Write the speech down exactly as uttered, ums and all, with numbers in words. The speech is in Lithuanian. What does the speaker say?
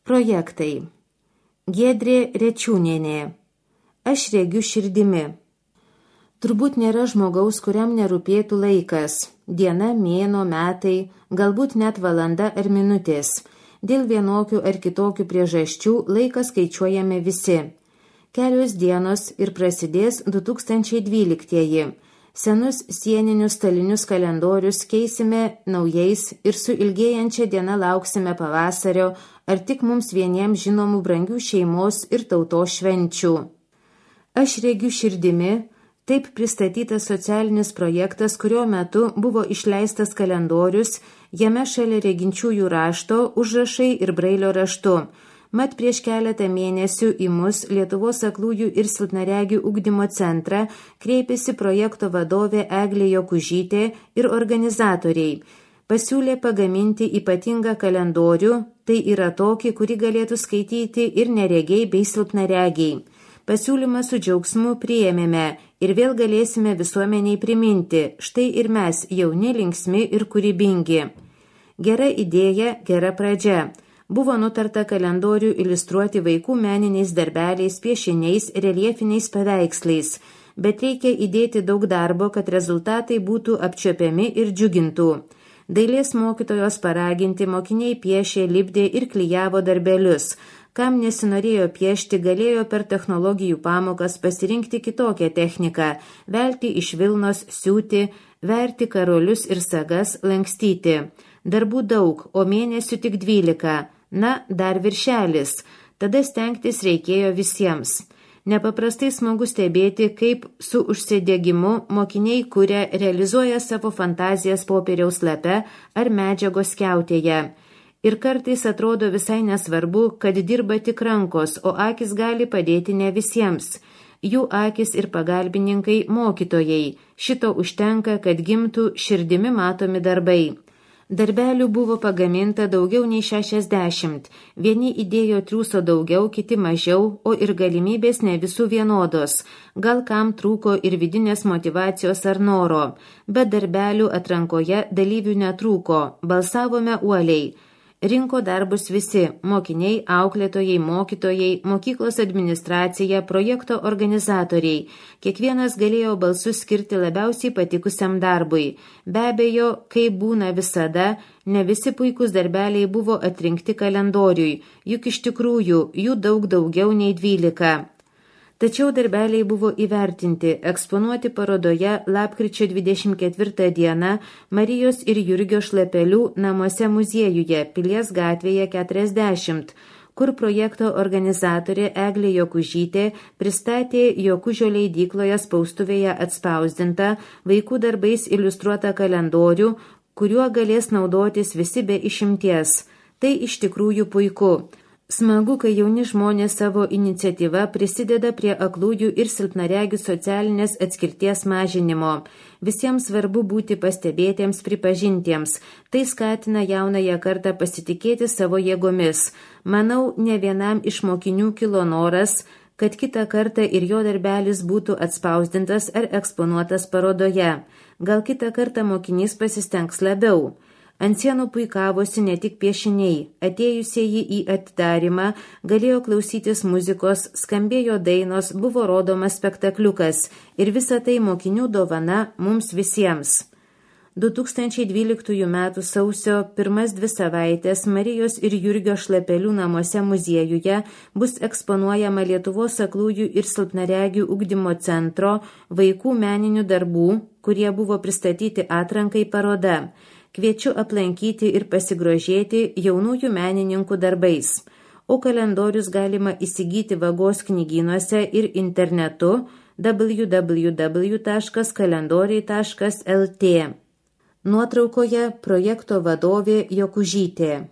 Projektai. Giedrė Rečiūnienė. Aš regiu širdimi. Turbūt nėra žmogaus, kuriam nerūpėtų laikas. Diena, mėnuo, metai, galbūt net valanda ar minutės. Dėl vienokių ar kitokių priežasčių laiką skaičiuojame visi. Kelios dienos ir prasidės du tūkstančiai dvyliktieji. Senus sieninius stalinius kalendorius keisime naujais ir su ilgėjančia diena lauksime pavasario ar tik mums vieniems žinomų brangių šeimos ir tautos švenčių. Aš regiu širdimi, taip pristatytas socialinis projektas, kurio metu buvo išleistas kalendorius, jame šalia reginčiųjų rašto užrašai ir brailio raštu. Mat prieš keletą mėnesių į mus Lietuvos aklųjų ir silpnaregių ugdymo centrą kreipėsi projekto vadovė Eglė Jokužytė ir organizatoriai. Pasiūlė pagaminti ypatingą kalendorių, tai yra tokį, kurį galėtų skaityti ir neregiai bei silpnaregiai. Pasiūlymą su džiaugsmu priėmėme ir vėl galėsime visuomeniai priminti, štai ir mes jauni, linksmi ir kūrybingi. Gera idėja, gera pradžia. Buvo nutarta kalendorių iliustruoti vaikų meniniais darbeliais, piešiniais, reliefiniais paveikslais, bet reikia įdėti daug darbo, kad rezultatai būtų apčiuopiami ir džiugintų. Dailės mokytojos paraginti mokiniai piešė, lipdė ir klijavo darbelius. Kam nesinorėjo piešti, galėjo per technologijų pamokas pasirinkti kitokią techniką, velti iš vilnos, siūti, verti karolius ir sagas, lankstyti. Darbų daug, o mėnesių tik dvylika. Na, dar viršelis. Tada stengtis reikėjo visiems. Nepaprastai smagu stebėti, kaip su užsidėgymu mokiniai kuria, realizuoja savo fantazijas popieriaus lape ar medžiagos skiautėje. Ir kartais atrodo visai nesvarbu, kad dirba tik rankos, o akis gali padėti ne visiems. Jų akis ir pagalbininkai mokytojai. Šito užtenka, kad gimtų širdimi matomi darbai. Darbelių buvo pagaminta daugiau nei šešiasdešimt. Vieni įdėjo triūso daugiau, kiti mažiau, o ir galimybės ne visų vienodos. Gal kam trūko ir vidinės motyvacijos ar noro. Bet darbelių atrankoje dalyvių netrūko. Balsavome uoliai. Rinko darbus visi – mokiniai, auklėtojai, mokytojai, mokyklos administracija, projekto organizatoriai. Kiekvienas galėjo balsus skirti labiausiai patikusiam darbui. Be abejo, kaip būna visada, ne visi puikūs darbeliai buvo atrinkti kalendoriui, juk iš tikrųjų jų daug daugiau nei dvylika. Tačiau darbeliai buvo įvertinti, eksponuoti parodoje lapkričio dvidešimt ketvirtą dieną Marijos ir Jurgio Šlapelių namuose muziejuje Pilies gatvėje keturiasdešimt, kur projekto organizatorė Eglė Jokužytė pristatė Jokužio leidykloje spaustuvėje atspausdintą vaikų darbais iliustruotą kalendorių, kuriuo galės naudotis visi be išimties. Tai iš tikrųjų puiku. Smagu, kai jauni žmonės savo iniciatyva prisideda prie aklųjų ir silpnaregių socialinės atskirties mažinimo. Visiems svarbu būti pastebėtiems, pripažintiems. Tai skatina jaunąją kartą pasitikėti savo jėgomis. Manau, ne vienam iš mokinių kilo noras, kad kitą kartą ir jo darbelis būtų atspausdintas ar eksponuotas parodoje. Gal kitą kartą mokinys pasistengs labiau. Ant sienų puikavosi ne tik piešiniai. Atėjusieji į atidarymą galėjo klausytis muzikos, skambėjo dainos, buvo rodomas spektakliukas ir visa tai mokinių dovana mums visiems. du tūkstančiai dvyliktųjų metų sausio pirmas dvi savaitės Marijos ir Jurgio Šlapelių namuose muziejuje bus eksponuojama Lietuvos aklųjų ir silpnaregių ugdymo centro vaikų meninių darbų, kurie buvo pristatyti atrankai paroda. Kviečiu aplankyti ir pasigrožėti jaunųjų menininkų darbais. O kalendorius galima įsigyti Vagos knygynuose ir internetu w w w taškas kalendoriai taškas l t. Nuotraukoje projekto vadovė Jokužytė.